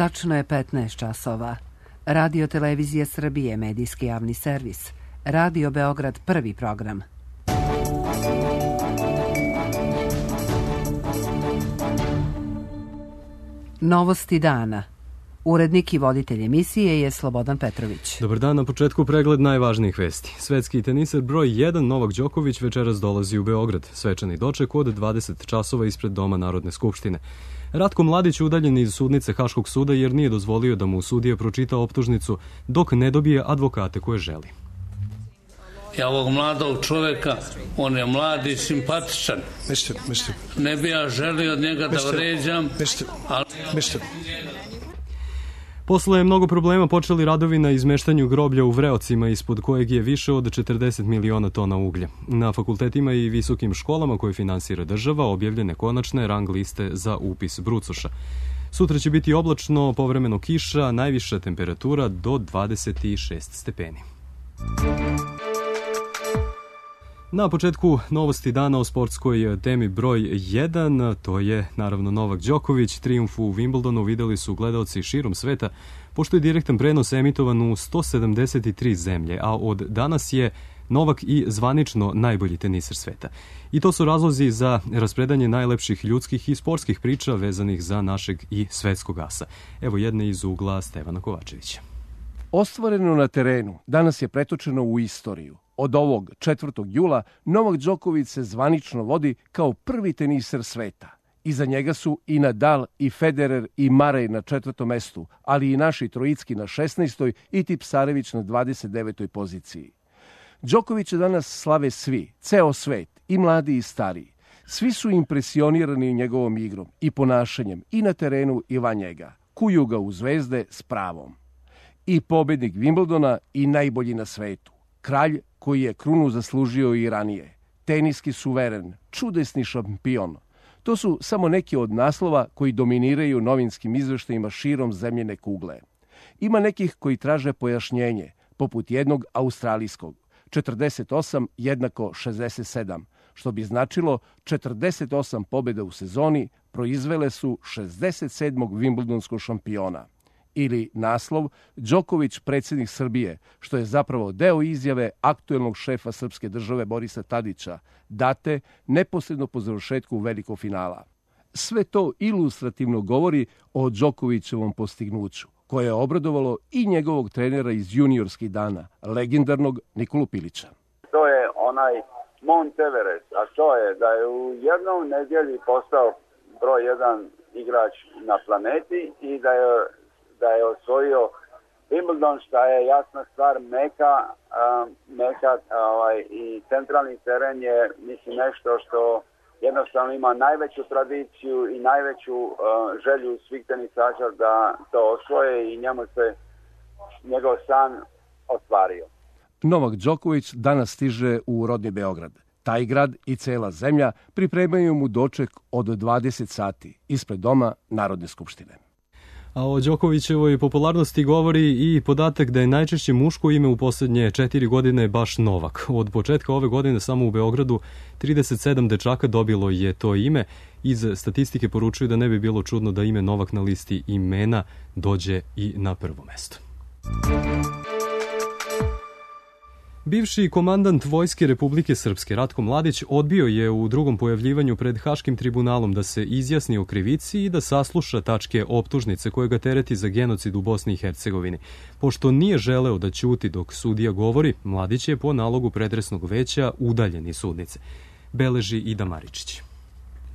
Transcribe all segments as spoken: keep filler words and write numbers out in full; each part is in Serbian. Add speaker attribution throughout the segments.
Speaker 1: Tačno je petnaest časova. Radio Televizija Srbije, medijski javni servis. Radio Beograd, prvi program. Novosti dana. Urednik i voditelj emisije je Slobodan Petrović.
Speaker 2: Dobar dan, na početku pregled najvažnijih vesti. Svetski teniser broj jedan Novak Đoković večeras dolazi u Beograd. Svečani doček od dvadeset časova ispred Doma Narodne skupštine. Ratko Mladić udaljen iz sudnice Haškog suda jer nije dozvolio da mu sudija pročita optužnicu dok ne dobije advokate koje želi.
Speaker 3: Ja ovog mladog čoveka, on je mlad i simpatičan.
Speaker 4: Mister, mister.
Speaker 3: Ne bi ja želio od njega da vređam, ali...
Speaker 4: Mister.
Speaker 2: Posle mnogo problema počeli radovi na izmeštanju groblja u Vreocima, ispod kojeg je više od četrdeset miliona tona uglja. Na fakultetima i visokim školama koje finansira država objavljene konačne rang liste za upis brucoša. Sutra će biti oblačno, povremeno kiša, najviša temperatura do dvadeset šest stepeni. Na početku novosti dana o sportskoj temi broj jedan, to je naravno Novak Đoković. Trijumf u Wimbledonu videli su gledaoci širom sveta, pošto je direktan prenos emitovan u sto sedamdeset tri zemlje, a od danas je Novak i zvanično najbolji teniser sveta. I to su razlozi za raspredanje najlepših ljudskih i sportskih priča vezanih za našeg i svetskog asa. Evo jedne iz ugla Stevana Kovačevića.
Speaker 5: Ostvareno na terenu danas je pretočeno u istoriju. Od ovog četvrtog jula Novak Đoković se zvanično vodi kao prvi teniser sveta. Iza njega su i Nadal, i Federer, i Marej na četvrtom mestu, ali i naši Trojicki na šesnaestoj i Tipsarević na dvadeset devetoj poziciji. Đokovića danas slave svi, ceo svet, i mladi i stariji. Svi su impresionirani njegovom igrom i ponašanjem i na terenu i van njega. Kuju ga u zvezde s pravom. I pobednik Wimbledona i najbolji na svetu. Kralj koji je krunu zaslužio i ranije. Teniski suveren, čudesni šampion. To su samo neki od naslova koji dominiraju novinskim izveštajima širom zemljene kugle. Ima nekih koji traže pojašnjenje, poput jednog australijskog. četrdeset osam jednako šezdeset sedam, što bi značilo četrdeset osam pobjeda u sezoni proizvele su šezdeset sedmog Wimbledonskog šampiona. Ili naslov Đoković predsjednik Srbije, što je zapravo deo izjave aktuelnog šefa srpske države Borisa Tadića, date neposredno po završetku velikog finala. Sve to ilustrativno govori o Đokovićevom postignuću, koje je obradovalo i njegovog trenera iz juniorskih dana, legendarnog Nikolu Pilića.
Speaker 6: To je onaj Mount Everest, a to je da je u jednom nedjelji postao broj jedan igrač na planeti i da je da je osvojio Wimbledon, što je jasna stvar, meka, uh, meka ovaj, i centralni teren je, mislim, nešto što jednostavno ima najveću tradiciju i najveću uh, želju svih tenisača da to osvoje i njemu se njegov san ostvario.
Speaker 5: Novak Đoković danas stiže u rodni Beograd. Taj grad i cela zemlja pripremaju mu doček od dvadeset sati ispred Doma Narodne skupštine.
Speaker 2: A o Đokovićevoj popularnosti govori i podatak da je najčešće muško ime u posljednje četiri godine baš Novak. Od početka ove godine samo u Beogradu trideset sedam dečaka dobilo je to ime. Iz statistike poručuju da ne bi bilo čudno da ime Novak na listi imena dođe i na prvo mesto. Bivši komandant Vojske Republike Srpske Ratko Mladić odbio je u drugom pojavljivanju pred Haškim tribunalom da se izjasni o krivici i da sasluša tačke optužnice koje ga tereti za genocid u Bosni i Hercegovini. Pošto nije želeo da ćuti dok sudija govori, Mladić je po nalogu pretresnog veća udaljen iz sudnice. Beleži Ida Maričić.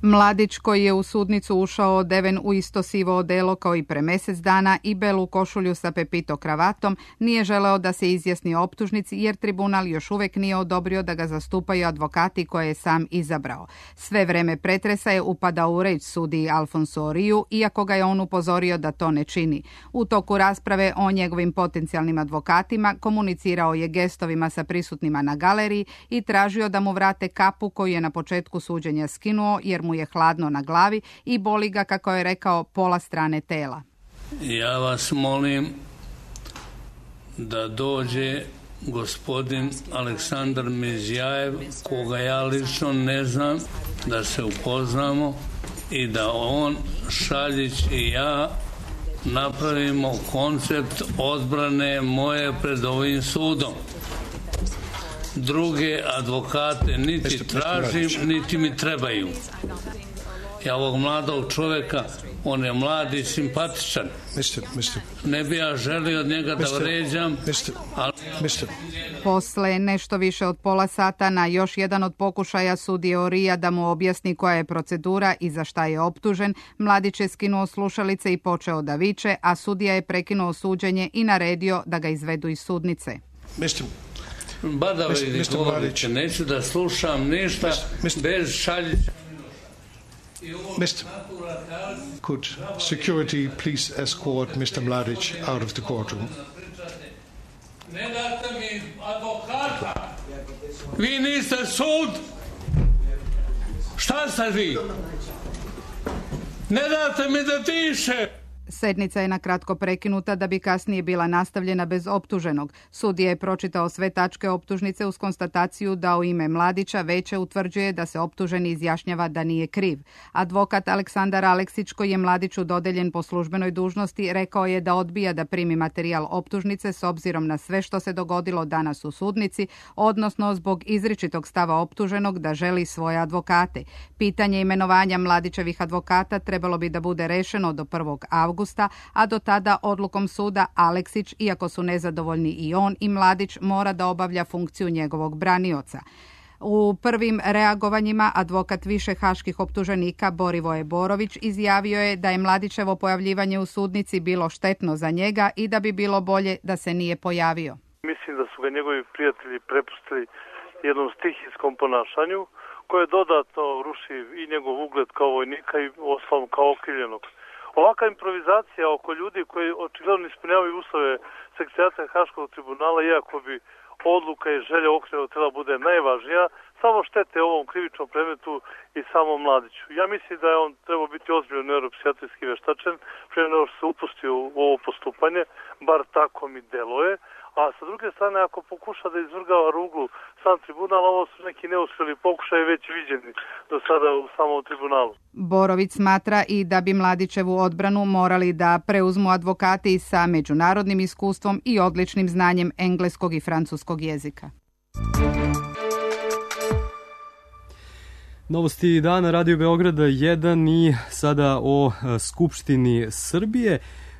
Speaker 7: Mladić, koji je u sudnicu ušao odeven u isto sivo odelo kao i pre mjesec dana i belu košulju sa pepito kravatom, nije želeo da se izjasni o optužnici jer tribunal još uvek nije odobrio da ga zastupaju advokati koje je sam izabrao. Sve vreme pretresa je upadao u reč sudiji Alfonso Oriju, iako ga je on upozorio da to ne čini. U toku rasprave o njegovim potencijalnim advokatima komunicirao je gestovima sa prisutnima na galeriji i tražio da mu vrate kapu koju je na početku suđenja skinuo jer mu je hladno na glavi i boli ga, kako je rekao, pola strane tela.
Speaker 3: Ja vas molim da dođe gospodin Aleksandar Mizjajev, koga ja lično ne znam, da se upoznamo i da on, Šaljić i ja napravimo koncept odbrane moje pred ovim sudom. Druge advokate niti tražim, niti mi trebaju. Ja ovog mladog čoveka, on je mlad i simpatičan.
Speaker 4: Mister, mister.
Speaker 3: Ne bi ja želio od njega da vređam.
Speaker 4: Mister,
Speaker 3: ali...
Speaker 4: mister.
Speaker 7: Posle nešto više od pola sata na još jedan od pokušaja sudije Orija da mu objasni koja je procedura i za šta je optužen, Mladić je skinuo slušalice i počeo da viče, a sudija je prekinuo suđenje i naredio da ga izvedu iz sudnice.
Speaker 4: Mister.
Speaker 3: Badava ili govorite, neću da slušam ništa bez šaljića.
Speaker 4: Mister, could security please escort mister Mladić out of the courtroom?
Speaker 3: Ne date mi advokata. Vi niste sud. Šta ste vi? Ne date mi da diše.
Speaker 7: Sednica je nakratko prekinuta da bi kasnije bila nastavljena bez optuženog. Sudija je pročitao sve tačke optužnice uz konstataciju da u ime Mladića veće utvrđuje da se optuženi izjašnjava da nije kriv. Advokat Aleksandar Aleksić, koji je Mladiću dodeljen po službenoj dužnosti, rekao je da odbija da primi materijal optužnice s obzirom na sve što se dogodilo danas u sudnici, odnosno zbog izričitog stava optuženog da želi svoje advokate. Pitanje imenovanja Mladićevih advokata trebalo bi da bude rešeno do prvog avgusta, a do tada odlukom suda Aleksić, iako su nezadovoljni i on i Mladić, mora da obavlja funkciju njegovog branioca. U prvim reagovanjima advokat više haških optuženika Borivoje Borović izjavio je da je Mladićevo pojavljivanje u sudnici bilo štetno za njega i da bi bilo bolje da se nije pojavio.
Speaker 8: Mislim da su ga njegovi prijatelji prepustili jednom stihijskom ponašanju koje dodatno ruši i njegov ugled kao vojnika i ostalom kao okrivljenog. Ovaka improvizacija oko ljudi koji očigledno ispunjavaju uslove sekretarijata Haškog tribunala, iako bi odluka i želja okrivljenog treba bude najvažnija, samo štete ovom krivičnom predmetu i samom Mladiću. Ja mislim da je on trebao biti ozbiljno neuropsijatrijski veštačen, prije nego što se upustio u ovo postupanje, bar tako mi deluje. A sa druge strane, ako pokuša da izvrgava ruglu sam tribunal, ovo su neki neuspjeli pokušaj već viđeni do sada u samom tribunalu.
Speaker 7: Borović smatra i da bi Mladićevu odbranu morali da preuzmu advokati sa međunarodnim iskustvom i odličnim znanjem engleskog i francuskog jezika.
Speaker 2: Novosti dana Radio Beograda jedan i sada o Skupštini Srbije.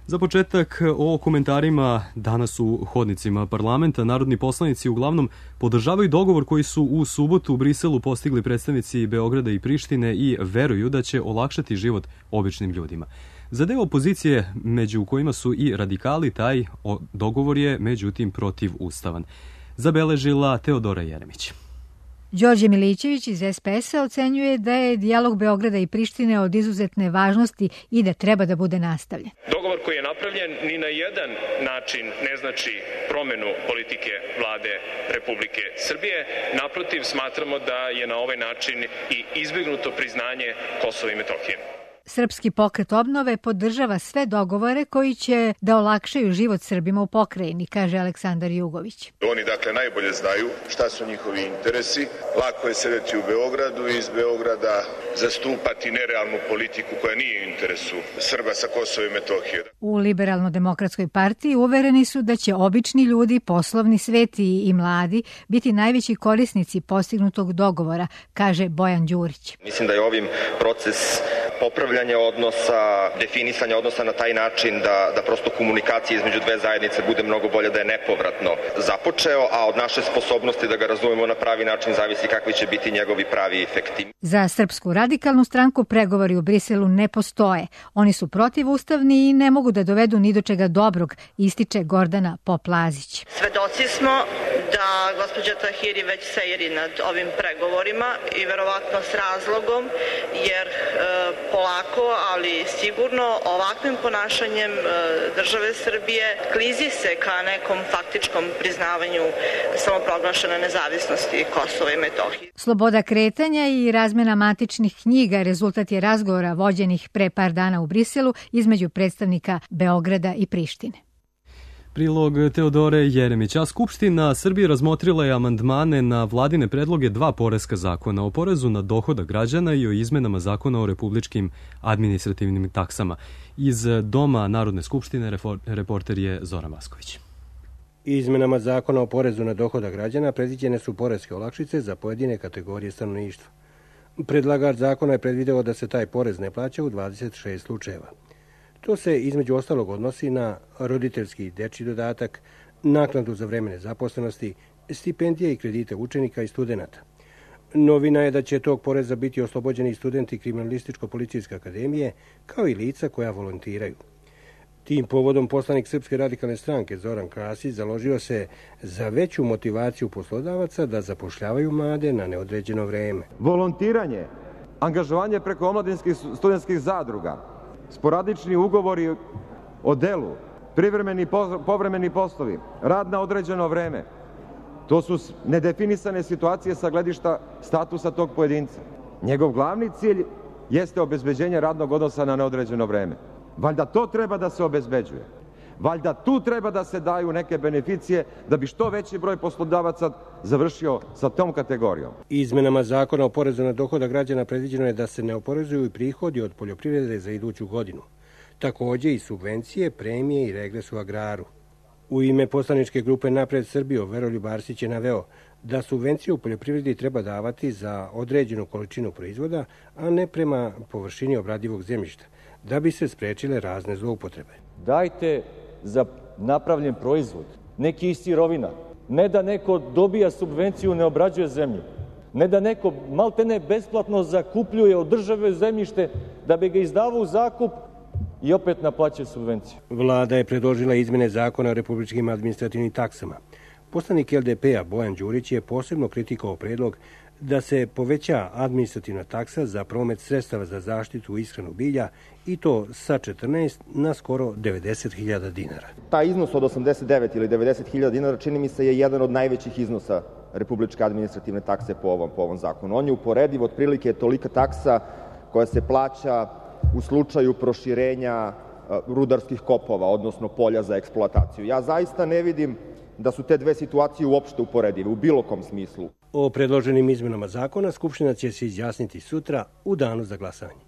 Speaker 2: Za početak o komentarima danas u hodnicima parlamenta. Narodni poslanici uglavnom podržavaju dogovor koji su u subotu u Briselu postigli predstavnici Beograda i Prištine i veruju da će olakšati život običnim ljudima. Za deo opozicije, među kojima su i radikali, taj dogovor je međutim protivustavan. Zabeležila Teodora Jeremić.
Speaker 9: Đorđe Milićević iz es pe es-a ocenjuje da je dijalog Beograda i Prištine od izuzetne važnosti i da treba da bude nastavljen.
Speaker 10: Dogovor koji je napravljen ni na jedan način ne znači promenu politike vlade Republike Srbije. Naprotiv, smatramo da je na ovaj način i izbjegnuto priznanje Kosova i Metohije.
Speaker 9: Srpski pokret obnove podržava sve dogovore koji će da olakšaju život Srbima u pokrajini, kaže Aleksandar Jugović.
Speaker 11: Oni dakle najbolje znaju šta su njihovi interesi. Lako je sedeti u Beogradu i iz Beograda zastupati nerealnu politiku koja nije u interesu Srba sa Kosova i Metohije.
Speaker 9: U Liberalno-demokratskoj partiji uvereni su da će obični ljudi, poslovni svet i mladi biti najveći korisnici postignutog dogovora, kaže Bojan Đurić.
Speaker 12: Mislim da je ovim proces popravljanja odnosa, definisanja odnosa na taj način da, da prosto komunikacija između dve zajednice bude mnogo bolje, da je nepovratno započeo, a od naše sposobnosti da ga razumemo na pravi način zavisi kakvi će biti njegovi pravi efekti.
Speaker 9: Za Srpsku radikalnu stranku pregovori u Briselu ne postoje. Oni su protivustavni i ne mogu da dovedu ni do čega dobrog, ističe Gordana Poplazić.
Speaker 13: Svedoci smo da gospođa Tahiri već sejri nad ovim pregovorima i verovatno s razlogom, jer e, polako, ali sigurno ovakvim ponašanjem države Srbije klizi se ka nekom faktičkom priznavanju samoproglašene nezavisnosti Kosova i Metohije.
Speaker 9: Sloboda kretanja i razmena matičnih knjiga rezultat je razgovora vođenih pre par dana u Briselu između predstavnika Beograda i Prištine.
Speaker 2: Prilog Teodore Jeremić. A Skupština Srbije razmotrila je amandmane na vladine predloge dva poreska zakona, o porezu na dohodak građana i o izmenama zakona o republičkim administrativnim taksama. Iz Doma Narodne skupštine reporter je Zoran Vasković.
Speaker 14: Izmenama zakona o porezu na dohodak građana predviđene su poreske olakšice za pojedine kategorije stanovništva. Predlagač zakona je predvideo da se taj porez ne plaća u dvadeset šest slučajeva. To se između ostalog odnosi na roditeljski dečji dodatak, naknadu za vreme nezaposlenosti, stipendije i kredite učenika i studenata. Novina je da će tog poreza biti oslobođeni studenti Kriminalističko-policijske akademije, kao i lica koja volontiraju. Tim povodom poslanik Srpske radikalne stranke Zoran Krasić založio se za veću motivaciju poslodavaca da zapošljavaju mlade na neodređeno vreme.
Speaker 15: Volontiranje, angažovanje preko omladinskih studentskih zadruga, sporadični ugovori o delu, privremeni povremeni poslovi, rad na određeno vreme. To su nedefinisane situacije sa gledišta statusa tog pojedinca. Njegov glavni cilj jeste obezbeđenje radnog odnosa na neodređeno vreme. Valjda to treba da se obezbeđuje. Valjda tu treba da se daju neke beneficije da bi što veći broj poslodavaca završio sa tom kategorijom.
Speaker 14: Izmenama zakona o porezu na dohodak građana predviđeno je da se ne oporezuju i prihodi od poljoprivrede za iduću godinu. Takođe i subvencije, premije i regres u agraru. U ime poslaničke grupe Napred Srbiju Veroljub Arsić je naveo da subvencije u poljoprivredi treba davati za određenu količinu proizvoda, a ne prema površini obradivog zemljišta, da bi se sprečile razne zloupotrebe.
Speaker 16: Dajte za napravljen proizvod neki iz sirovina. Ne da neko dobija subvenciju, ne obrađuje zemlju. Ne da neko maltene besplatno zakupljuje od države zemljište da bi ga izdavao u zakup i opet naplaćuje subvenciju.
Speaker 14: Vlada je predložila izmene zakona o republičkim administrativnim taksama. Poslanik L D P-a Bojan Đurić je posebno kritikovao predlog da se poveća administrativna taksa za promet sredstava za zaštitu i ishranu bilja i to sa četrnaest na skoro devedeset hiljada dinara.
Speaker 12: Ta iznos od osamdeset devet ili devedeset hiljada dinara čini mi se je jedan od najvećih iznosa republičke administrativne takse po ovom, po ovom zakonu. On je uporediv, otprilike tolika taksa koja se plaća u slučaju proširenja rudarskih kopova, odnosno polja za eksploataciju. Ja zaista ne vidim da su te dve situacije uopšte uporedive, u bilo kom smislu.
Speaker 14: O predloženim izmenama zakona Skupština će se izjasniti sutra u danu za glasanje.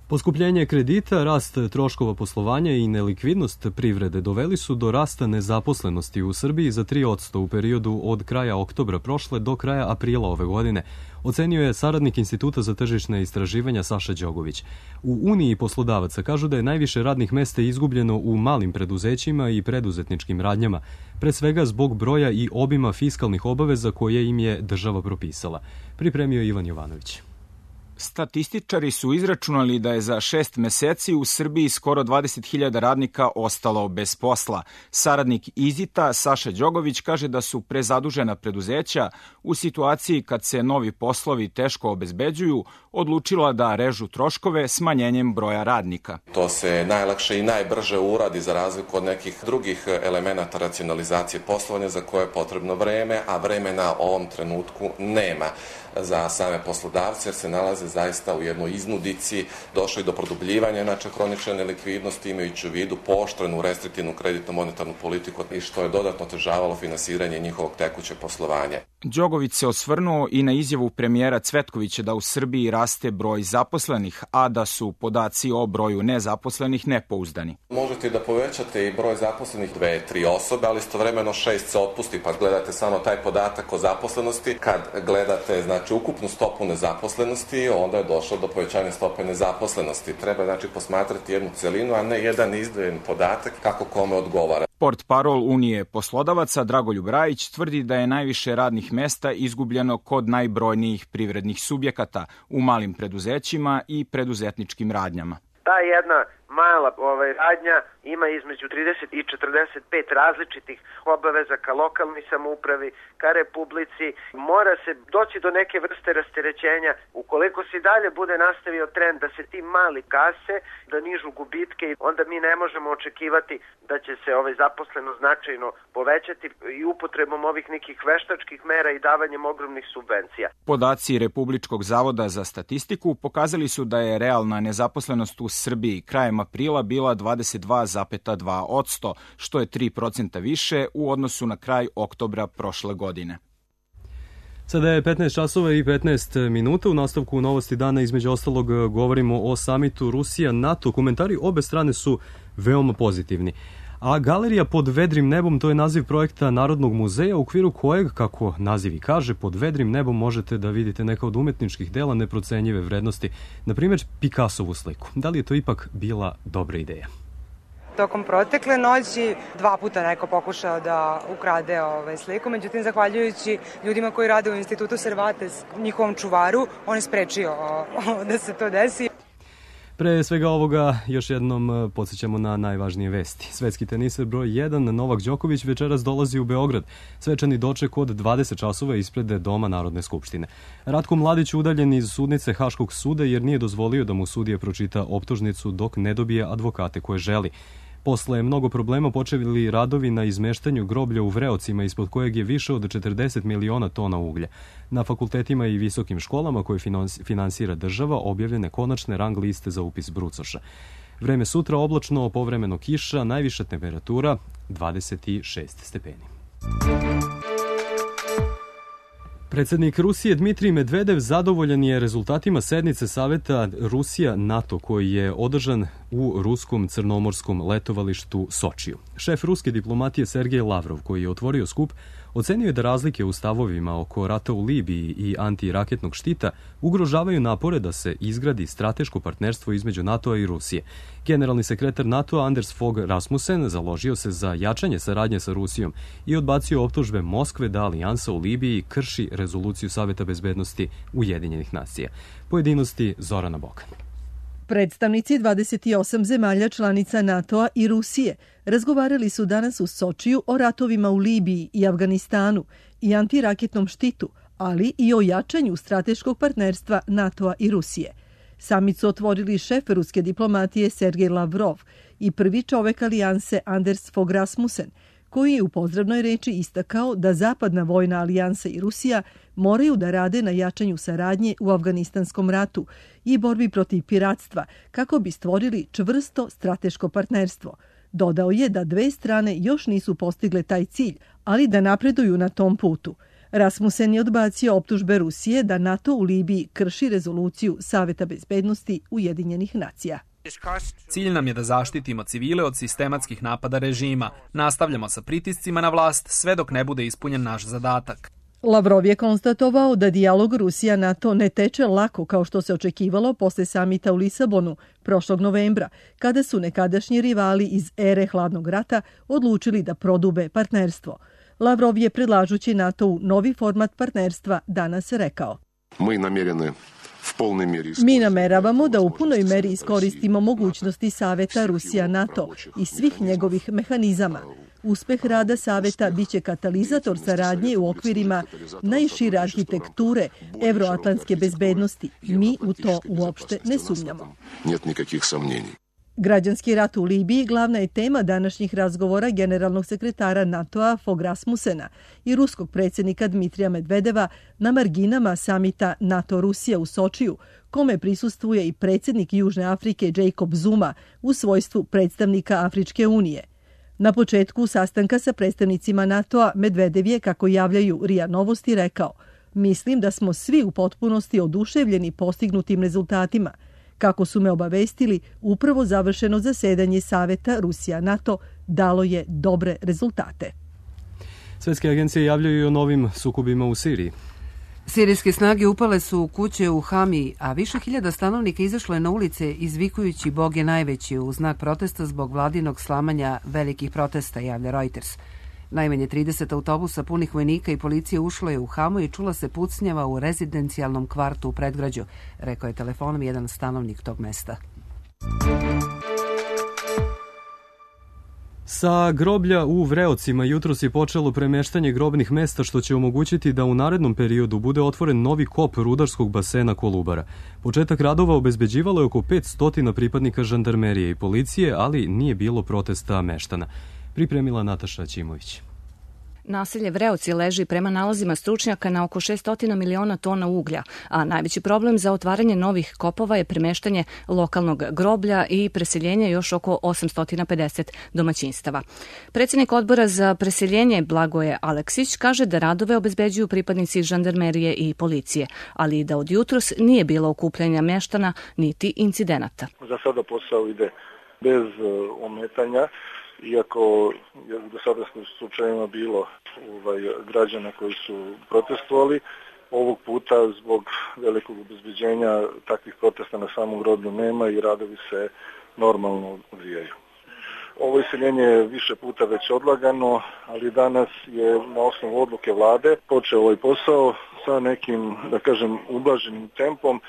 Speaker 2: Poskupljenje kredita, rast troškova poslovanja i nelikvidnost privrede doveli su do rasta nezaposlenosti u Srbiji za tri posto u periodu od kraja oktobra prošle do kraja aprila ove godine, ocenio je saradnik Instituta za tržišne istraživanja Saša Đogović. U Uniji poslodavaca kažu da je najviše radnih mesta izgubljeno u malim preduzećima i preduzetničkim radnjama, pre svega zbog broja i obima fiskalnih obaveza koje im je država propisala. Pripremio Ivan Jovanović.
Speaker 17: Statističari su izračunali da je za šest meseci u Srbiji skoro dvadeset hiljada radnika ostalo bez posla. Saradnik Izita Saša Đogović kaže da su prezadužena preduzeća u situaciji kad se novi poslovi teško obezbeđuju odlučila da režu troškove smanjenjem broja radnika.
Speaker 18: To se najlakše i najbrže uradi za razliku od nekih drugih elemenata racionalizacije poslovanja za koje je potrebno vreme, a vremena u ovom trenutku nema za same poslodavce jer se nalaze zaista u jednoj iznudici, došlo i do produbljivanja inače hronične nelikvidnosti imajući u vidu pooštrenu restriktivnu kreditno monetarnu politiku i što je dodatno otežavalo finansiranje njihovog tekućeg poslovanja.
Speaker 17: Đogović se osvrnuo i na izjavu premijera Cvetkovića da u Srbiji raste broj zaposlenih, a da su podaci o broju nezaposlenih nepouzdani.
Speaker 18: Možete da povećate i broj zaposlenih dve, tri osobe, ali istovremeno šest se otpusti, pa gledate samo taj podatak o zaposlenosti. Kad gledate znači ukupnu stopu nezaposlenosti, onda je došlo do povećanja stope nezaposlenosti. Treba znači posmatrati jednu celinu, a ne jedan izdvojen podatak kako kome odgovara.
Speaker 17: Portparol Unije poslodavaca Dragoljub Rajić tvrdi da je najviše radnih mesta izgubljeno kod najbrojnijih privrednih subjekata u malim preduzećima i preduzetničkim radnjama.
Speaker 19: Ta jedna mala ovaj, radnja ima između trideset i četrdeset pet različitih obaveza ka lokalnoj samoupravi, ka republici. Mora se doći do neke vrste rasterećenja. Ukoliko se dalje bude nastavio trend da se ti mali kase, da nižu gubitke, onda mi ne možemo očekivati da će se ovaj zaposleno značajno povećati i upotrebom ovih nekih veštačkih mera i davanjem ogromnih subvencija.
Speaker 17: Podaci Republičkog zavoda za statistiku pokazali su da je realna nezaposlenost u Srbiji krajem aprila bila dvadeset dva zarez dva posto, što je tri procenta više u odnosu na kraj oktobra prošle godine.
Speaker 2: Sada je petnaest časova i petnaest minuta. U nastavku novosti dana između ostalog govorimo o samitu Rusija-NATO. Komentari obe strane su veoma pozitivni. A Galerija pod vedrim nebom, to je naziv projekta Narodnog muzeja u okviru kojeg, kako naziv i kaže, pod vedrim nebom možete da vidite neka od umetničkih dela neprocenjive vrednosti, na primjer Picassovu sliku. Da li je to ipak bila dobra ideja?
Speaker 20: Tokom protekle noći dva puta neko pokušao da ukrade ovaj sliku, međutim, zahvaljujući ljudima koji rade u Institutu Cervantes, njihovom čuvaru, on je sprečio da se to desi.
Speaker 2: Pre svega ovoga još jednom podsjećamo na najvažnije vesti. Svetski teniser broj jedan Novak Đoković večeras dolazi u Beograd. Svečani doček od dvadeset časova ispred Doma Narodne skupštine. Ratko Mladić udaljen iz sudnice Haškog suda jer nije dozvolio da mu sudija pročita optužnicu dok ne dobije advokate koje želi. Posle mnogo problema počeli radovi na izmeštanju groblja u Vreocima ispod kojeg je više od četrdeset miliona tona uglja. Na fakultetima i visokim školama koje finansira država objavljene konačne rang liste za upis brucoša. Vreme sutra oblačno, povremeno kiša, najviša temperatura dvadeset šest stepeni. Predsednik Rusije Dmitrij Medvedev zadovoljan je rezultatima sednice Saveta Rusija-NATO koji je održan u ruskom crnomorskom letovalištu Sočiju. Šef ruske diplomatije Sergej Lavrov, koji je otvorio skup, ocenio je da razlike u stavovima oko rata u Libiji i antiraketnog štita ugrožavaju napore da se izgradi strateško partnerstvo između NATO-a i Rusije. Generalni sekretar NATO-a Anders Fogh Rasmussen založio se za jačanje saradnje sa Rusijom i odbacio optužbe Moskve da alijansa u Libiji krši rezoluciju Saveta bezbednosti Ujedinjenih nacija. Pojedinosti Zorana Bokan.
Speaker 21: Predstavnici dvadeset osam zemalja članica NATO-a i Rusije razgovarali su danas u Sočiju o ratovima u Libiji i Afganistanu i antiraketnom štitu, ali i o jačanju strateškog partnerstva NATO-a i Rusije. Samit su otvorili šef ruske diplomatije Sergej Lavrov i prvi čovek alijanse Anders Fogh Rasmussen, koji je u pozdravnoj reči istakao da Zapadna vojna alijansa i Rusija moraju da rade na jačanju saradnje u afganistanskom ratu i borbi protiv piratstva kako bi stvorili čvrsto strateško partnerstvo. Dodao je da dve strane još nisu postigle taj cilj, ali da napreduju na tom putu. Rasmussen je odbacio optužbe Rusije da NATO u Libiji krši rezoluciju Saveta bezbednosti Ujedinjenih nacija.
Speaker 22: Cilj nam je da zaštitimo civile od sistematskih napada režima. Nastavljamo sa pritiscima na vlast sve dok ne bude ispunjen naš zadatak.
Speaker 21: Lavrov je konstatovao da dijalog Rusija-NATO ne teče lako kao što se očekivalo posle samita u Lisabonu prošlog novembra, kada su nekadašnji rivali iz ere hladnog rata odlučili da prodube partnerstvo. Lavrov je predlažući NATO-u novi format partnerstva danas rekao:
Speaker 23: Mi namjerene
Speaker 21: Mi nameravamo da u punoj meri iskoristimo mogućnosti Saveta Rusija-NATO i svih njegovih mehanizama. Uspeh rada Saveta biće katalizator saradnje u okvirima najšire arhitekture evroatlantske bezbednosti. Mi u to uopšte ne sumnjamo.
Speaker 23: Нет никаких сомнений.
Speaker 21: Građanski rat u Libiji glavna je tema današnjih razgovora generalnog sekretara NATO-a Fogh Rasmussena i ruskog predsjednika Dmitrija Medvedeva na marginama samita NATO-Rusija u Sočiju, kome prisustvuje i predsjednik Južne Afrike Jacob Zuma u svojstvu predstavnika Afričke unije. Na početku sastanka sa predstavnicima NATO-a Medvedev je, kako javljaju R I A Novosti, rekao: Mislim da smo svi u potpunosti oduševljeni postignutim rezultatima. Kako su me obavestili, upravo završeno zasedanje Saveta Rusija-NATO dalo je dobre rezultate.
Speaker 2: Svetske agencije javljaju i o novim sukobima u Siriji.
Speaker 1: Sirijske snage upale su u kuće u Hamiji, a više hiljada stanovnika izašlo je na ulice izvikujući Bog je najveći u znak protesta zbog vladinog slamanja velikih protesta, javlja Reuters. Najmanje trideset autobusa punih vojnika i policije ušlo je u Hamu i čula se pucnjava u rezidencijalnom kvartu u predgrađu, rekao je telefonom jedan stanovnik tog mesta.
Speaker 2: Sa groblja u Vreocima jutros je počelo premeštanje grobnih mesta, što će omogućiti da u narednom periodu bude otvoren novi kop rudarskog basena Kolubara. Početak radova obezbeđivalo je oko petsto pripadnika žandarmerije i policije, ali nije bilo protesta meštana. Pripremila Nataša Ćimović.
Speaker 4: Naselje Vreoci leži prema nalazima stručnjaka na oko šessto miliona tona uglja, a najveći problem za otvaranje novih kopova je premeštanje lokalnog groblja i preseljenje još oko osamsto pedeset domaćinstava. Predsjednik odbora za preseljenje Blagoje Aleksić kaže da radove obezbeđuju pripadnici žandarmerije i policije, ali da od jutros nije bilo okupljanja meštana niti incidenata.
Speaker 5: Za sada posao ide bez ometanja, iako je u dosadašnjim slučajevima bilo ovaj, građana koji su protestovali. Ovog puta zbog velikog obezbeđenja takvih protesta na samom groblju nema i radovi se normalno odvijaju. Ovo iseljenje je više puta već odlagano, ali danas je na osnovu odluke vlade počeo ovaj posao sa nekim, da kažem, ublaženim tempom.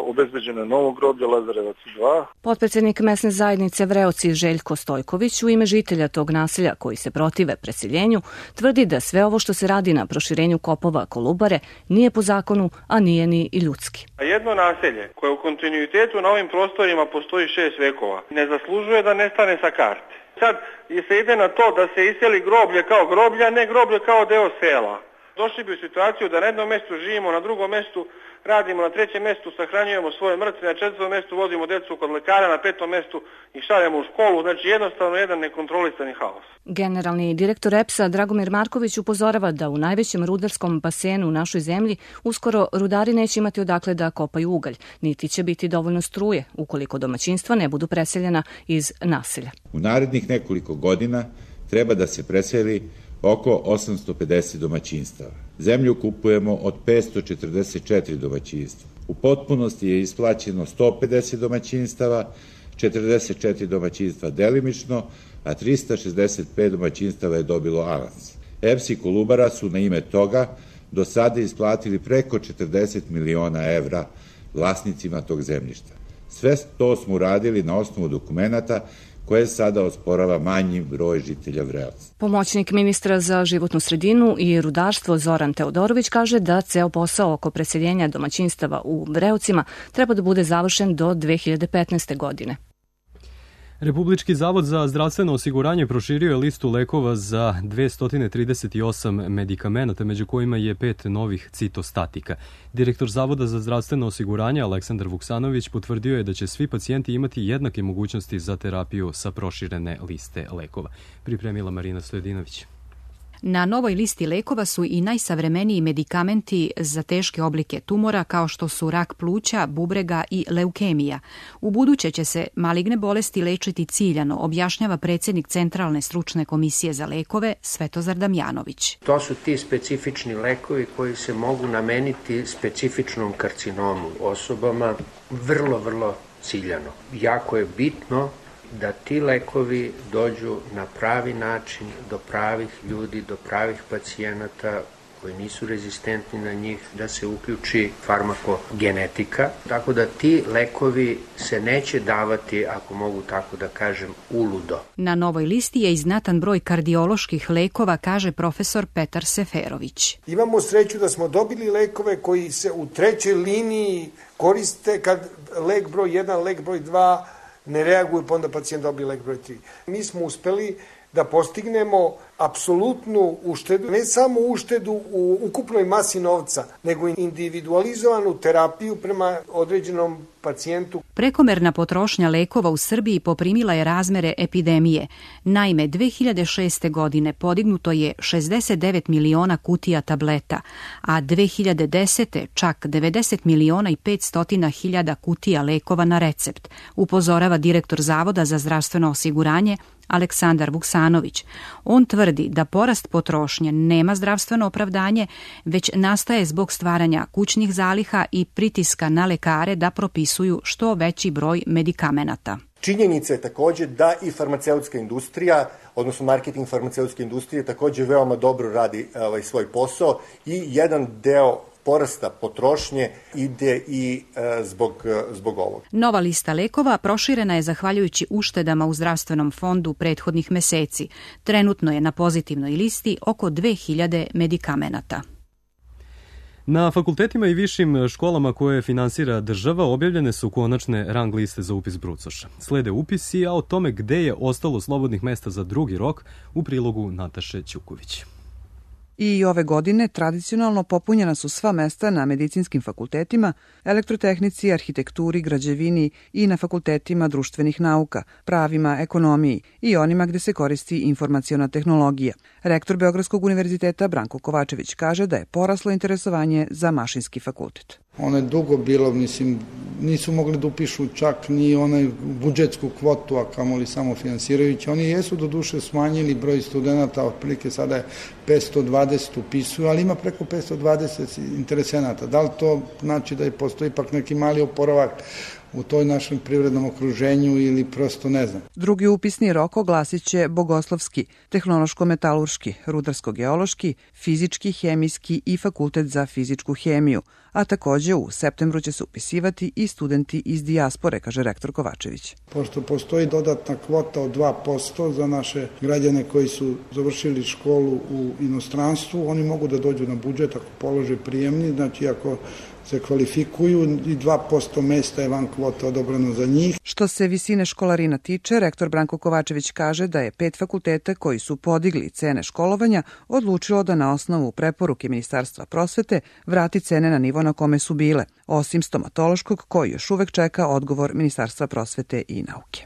Speaker 5: Obezbeđeno novo groblje Lazarevac dva.
Speaker 4: Potpredsjednik mesne zajednice Vreoci Željko Stojković u ime žitelja tog naselja koji se protive preseljenju tvrdi da sve ovo što se radi na proširenju kopova Kolubare nije po zakonu, a nije ni i ljudski.
Speaker 6: Jedno naselje koje u kontinuitetu na ovim prostorima postoji šest vekova ne zaslužuje da nestane sa karte. Sad se ide na to da se iseli groblje kao groblje, a ne groblje kao deo sela. Došli bi u situaciju da na jednom mjestu živimo, na drugom mjestu radimo, na trećem mjestu sahranjujemo svoje mrtve, na četvrtom mjestu vodimo djecu kod lekara, na petom mjestu ih šaljemo u školu, znači jednostavno jedan nekontrolisani haos.
Speaker 4: Generalni direktor E P S-a Dragomir Marković upozorava da u najvećem rudarskom basenu u našoj zemlji uskoro rudari neće imati odakle da kopaju ugalj, niti će biti dovoljno struje ukoliko domaćinstva ne budu preseljena iz naselja.
Speaker 24: U narednih nekoliko godina treba da se preseli oko osamsto pedeset domaćinstava. Zemlju kupujemo od petsto četrdeset četiri domaćinstva. U potpunosti je isplaćeno sto pedeset domaćinstava, četrdeset četiri domaćinstva delimično, a trista šezdeset pet domaćinstava je dobilo avans. E P S i Kolubara su na ime toga do sada isplatili preko četrdeset miliona evra vlasnicima tog zemljišta. Sve to smo uradili na osnovu dokumenata koje sada osporava manji broj žitelja Vreoca.
Speaker 4: Pomoćnik ministra za životnu sredinu i rudarstvo Zoran Teodorović kaže da ceo posao oko preseljenja domaćinstava u Vreocima treba da bude završen do dve hiljade petnaeste. godine.
Speaker 2: Republički zavod za zdravstveno osiguranje proširio je listu lekova za dvesta trideset osam medikamenata, među kojima je pet novih citostatika. Direktor Zavoda za zdravstveno osiguranje Aleksandar Vuksanović potvrdio je da će svi pacijenti imati jednake mogućnosti za terapiju sa proširene liste lekova. Pripremila Marina Stojedinović.
Speaker 25: Na novoj listi lekova su i najsavremeniji medikamenti za teške oblike tumora kao što su rak pluća, bubrega i leukemija. U buduće će se maligne bolesti lečiti ciljano, objašnjava predsjednik Centralne stručne komisije za lekove Svetozar Damjanović.
Speaker 26: To su ti specifični lekovi koji se mogu nameniti specifičnom karcinomu osobama vrlo, vrlo ciljano. Jako je bitno da ti lekovi dođu na pravi način do pravih ljudi, do pravih pacijenata koji nisu rezistentni na njih, da se uključi farmakogenetika, tako da ti lekovi se neće davati, ako mogu tako da kažem, uludo.
Speaker 25: Na novoj listi je i znatan broj kardioloških lekova, kaže profesor Petar Seferović.
Speaker 27: Imamo sreću da smo dobili lekove koji se u trećoj liniji koriste kad lek broj jedan, lek broj dva ne reaguju, pa onda pacijent dobije lek broj tri. Mi smo uspeli da postignemo apsolutnu uštedu, ne samo uštedu u ukupnoj masi novca, nego individualizovanu terapiju prema određenom pacijentu.
Speaker 25: Prekomerna potrošnja lekova u Srbiji poprimila je razmere epidemije. Naime, dve hiljade šeste. godine podignuto je šezdeset devet miliona kutija tableta, a dve hiljade desete. čak devedeset miliona i petsto hiljada kutija lekova na recept, upozorava direktor Zavoda za zdravstveno osiguranje Aleksandar Vuksanović. On tvrdi da porast potrošnje nema zdravstveno opravdanje, već nastaje zbog stvaranja kućnih zaliha i pritiska na lekare da propisuju što veći broj medikamenata.
Speaker 28: Činjenica je također da i farmaceutska industrija, odnosno marketing farmaceutske industrije također veoma dobro radi ovaj, svoj posao i jedan deo porasta potrošnje ide i e, zbog, zbog ovog.
Speaker 25: Nova lista lekova proširena je zahvaljujući uštedama u zdravstvenom fondu prethodnih meseci. Trenutno je na pozitivnoj listi oko dve hiljade medikamenata.
Speaker 2: Na fakultetima i višim školama koje finansira država objavljene su konačne rang liste za upis brucoša. Slede upisi, a o tome gde je ostalo slobodnih mesta za drugi rok u prilogu Nataše Ćuković.
Speaker 3: I ove godine tradicionalno popunjena su sva mesta na medicinskim fakultetima, elektrotehnici, arhitekturi, građevini i na fakultetima društvenih nauka, pravima, ekonomiji i onima gde se koristi informaciona tehnologija. Rektor Beogradskog univerziteta Branko Kovačević kaže da je poraslo interesovanje za mašinski fakultet.
Speaker 7: Ono je dugo bilo, mislim, nisu mogli da upišu čak ni onaj budžetsku kvotu, a kamoli samo finansirajući. Oni jesu do duše smanjili broj studenta, otprilike sada je petsto dvadeset upisuju, ali ima preko petsto dvadeset interesenata. Da li to znači da je postoji ipak neki mali oporavak u toj našem privrednom okruženju ili prosto ne znam.
Speaker 3: Drugi upisni rok oglasit će bogoslovski, tehnološko-metalurški, rudarsko-geološki, fizički, hemijski i fakultet za fizičku hemiju, a takođe u septembru će se upisivati i studenti iz dijaspore, kaže rektor Kovačević.
Speaker 7: Pošto postoji dodatna kvota od dva posto za naše građane koji su završili školu u inostranstvu, oni mogu da dođu na budžet ako polože prijemni, znači ako se kvalifikuju i dva posto mesta je van kvota odobrano za njih.
Speaker 3: Što se visine školarina tiče, rektor Branko Kovačević kaže da je pet fakulteta koji su podigli cene školovanja odlučilo da na osnovu preporuke Ministarstva prosvete vrati cene na nivo na kome su bile, osim stomatološkog koji još uvek čeka odgovor Ministarstva prosvete i nauke.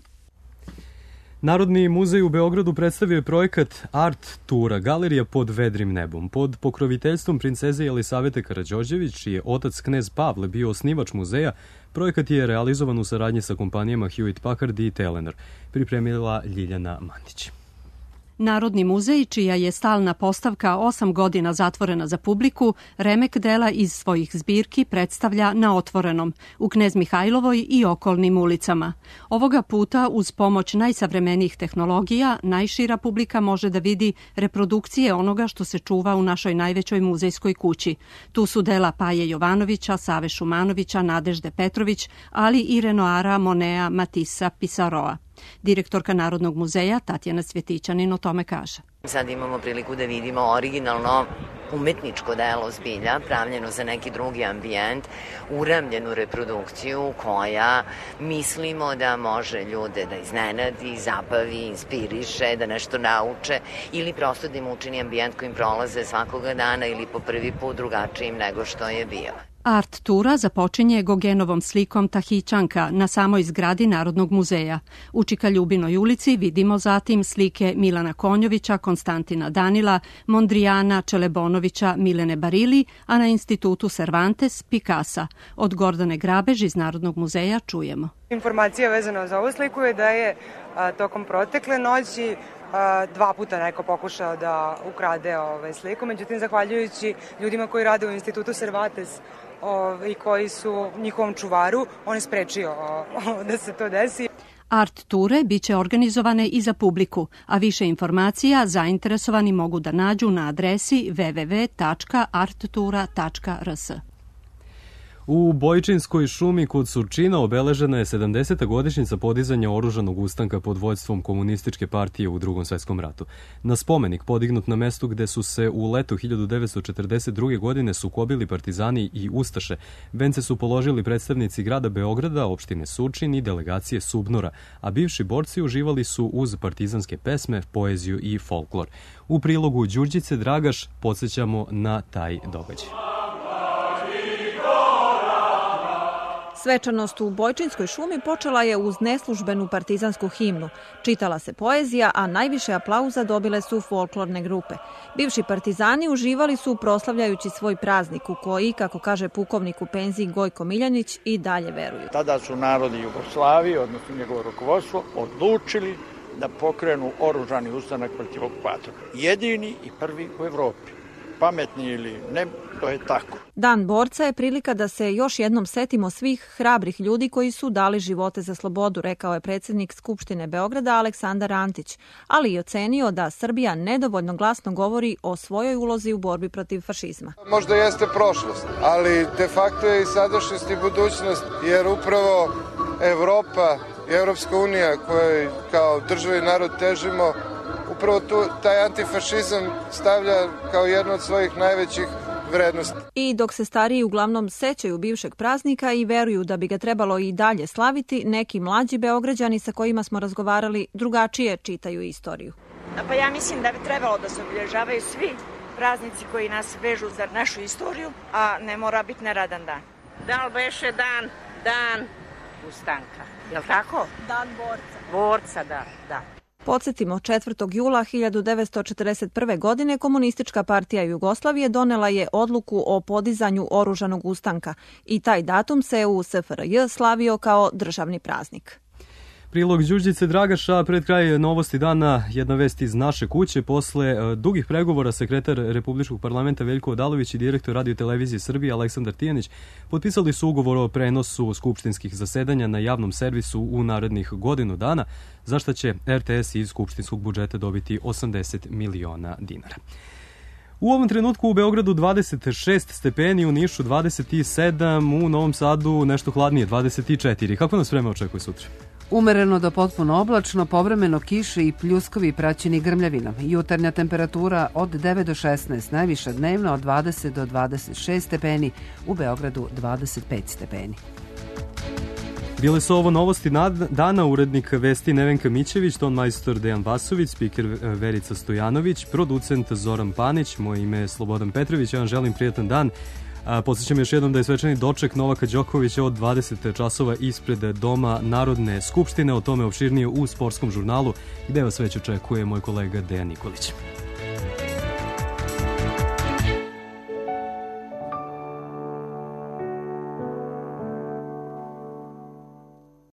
Speaker 2: Narodni muzej u Beogradu predstavio je projekat Art Tura, galerija pod vedrim nebom. Pod pokroviteljstvom princeze Jelisavete Karađorđević, čiji je otac knez Pavle bio osnivač muzeja, projekat je realizovan u saradnji sa kompanijama Hewitt Packard i Telenor, pripremila Ljiljana Mandić.
Speaker 8: Narodni muzej, čija je stalna postavka osam godina zatvorena za publiku, remek dela iz svojih zbirki predstavlja na otvorenom, u Knez Mihajlovoj i okolnim ulicama. Ovoga puta, uz pomoć najsavremenijih tehnologija, najšira publika može da vidi reprodukcije onoga što se čuva u našoj najvećoj muzejskoj kući. Tu su dela Paje Jovanovića, Save Šumanovića, Nadežde Petrović, ali i Renoara, Monea, Matissa, Pisaroa. Direktorka Narodnog muzeja Tatjana Svjetićanin o tome kaže.
Speaker 9: Sad imamo priliku da vidimo originalno umetničko delo zbilja, pravljeno za neki drugi ambijent, uramljenu reprodukciju koja mislimo da može ljude da iznenadi, zabavi, inspiriše, da nešto nauče ili prosto da im učini ambijent kojim prolaze svakoga dana ili po prvi put drugačijim nego što je bio.
Speaker 8: Art tura započinje Gogenovom slikom Tahićanka na samoj zgradi Narodnog muzeja. U Čika Ljubinoj ulici vidimo zatim slike Milana Konjovića, Konstantina Danila, Mondrijana, Čelebonovića, Milene Barili, a na institutu Cervantes Pikasa. Od Gordane Grabež iz Narodnog muzeja čujemo.
Speaker 20: Informacija vezana za ovu sliku je da je a, tokom protekle noći a, dva puta neko pokušao da ukrade ovaj, sliku, međutim zahvaljujući ljudima koji rade u institutu Cervantes i koji su njihovom čuvaru, on je sprečio da se to desi.
Speaker 8: Art ture biće organizovane i za publiku, a više informacija zainteresovani mogu da nađu na adresi w w w tačka art tura tačka r s.
Speaker 2: U Bojčinskoj šumi kod Surčina obeležena je sedamdeseta godišnjica podizanja oružanog ustanka pod vođstvom komunističke partije u Drugom svetskom ratu. Na spomenik podignut na mestu gde su se u letu hiljadu devetsto četrdeset druge. godine sukobili partizani i ustaše, vence su položili predstavnici grada Beograda, opštine Surčin i delegacije Subnora, a bivši borci uživali su uz partizanske pesme, poeziju i folklor. U prilogu Đurđice Dragaš podsjećamo na taj događaj.
Speaker 10: Svečanost u Bojčinskoj šumi počela je uz neslužbenu partizansku himnu. Čitala se poezija, a najviše aplauza dobile su folklorne grupe. Bivši partizani uživali su proslavljajući svoj praznik u koji, kako kaže pukovnik u penziji Gojko Miljanić, i dalje veruju.
Speaker 11: Tada su narodi Jugoslavije, odnosno njegovo rukovodstvo, odlučili da pokrenu oružani ustanak protiv okupatora. Jedini i prvi u Evropi. Pametni ili ne, to je tako.
Speaker 10: Dan borca je prilika da se još jednom setimo svih hrabrih ljudi koji su dali živote za slobodu, rekao je predsjednik Skupštine Beograda Aleksandar Antić, ali i ocenio da Srbija nedovoljno glasno govori o svojoj ulozi u borbi protiv fašizma.
Speaker 13: Možda jeste prošlost, ali de facto je i sadašnjost i budućnost, jer upravo Evropa i Evropska unija kojoj kao država i narod težimo, upravo tu taj antifašizam stavlja kao jednu od svojih najvećih vrednosti.
Speaker 10: I dok se stariji uglavnom sećaju bivšeg praznika i veruju da bi ga trebalo i dalje slaviti, neki mlađi Beograđani sa kojima smo razgovarali drugačije čitaju istoriju.
Speaker 15: Pa ja mislim da bi trebalo da se obilježavaju svi
Speaker 12: praznici koji nas vežu za našu istoriju, a ne mora biti neradan dan.
Speaker 14: Da li beše dan, dan ustanka, je li tako?
Speaker 12: Dan borca.
Speaker 14: Borca, da, da.
Speaker 10: Podsjetimo, četvrtog jula hiljadu devetsto četrdeset prve. godine Komunistička partija Jugoslavije donela je odluku o podizanju oružanog ustanka i taj datum se u S F R J slavio kao državni praznik.
Speaker 2: Prilog Đurđice Dragaša, pred kraj novosti dana, jedna vest iz naše kuće. Posle dugih pregovora sekretar Republičkog parlamenta Veljko Odalović i direktor Radio televizije Srbije Aleksandar Tijanić potpisali su ugovor o prenosu skupštinskih zasedanja na javnom servisu u narednih godinu dana, za šta će R T S iz skupštinskog budžeta dobiti osamdeset miliona dinara. U ovom trenutku u Beogradu dvadeset šest stepeni, u Nišu dvadeset sedam, u Novom Sadu nešto hladnije dvadeset četiri. Kako nas vreme očekuje sutra?
Speaker 1: Umereno do potpuno oblačno, povremeno kiše i pljuskovi praćeni grmljavinom. Jutarnja temperatura od devet do šesnaest, najviša dnevna od dvadeset do dvadeset šest stepeni, u Beogradu dvadeset pet stepeni.
Speaker 2: Bile su ovo novosti dana, urednik vesti Nevenka Mićević, ton majstor Dejan Vasović, spiker Verica Stojanović, producent Zoran Panić, moje ime je Slobodan Petrović, ja vam želim prijatan dan. Podsjećam još jednom da je svečani doček Novaka Đokovića od dvadeset časova ispred Doma Narodne skupštine, o tome opširnije u Sportskom žurnalu, gde vas već očekuje moj kolega Dejan Nikolić.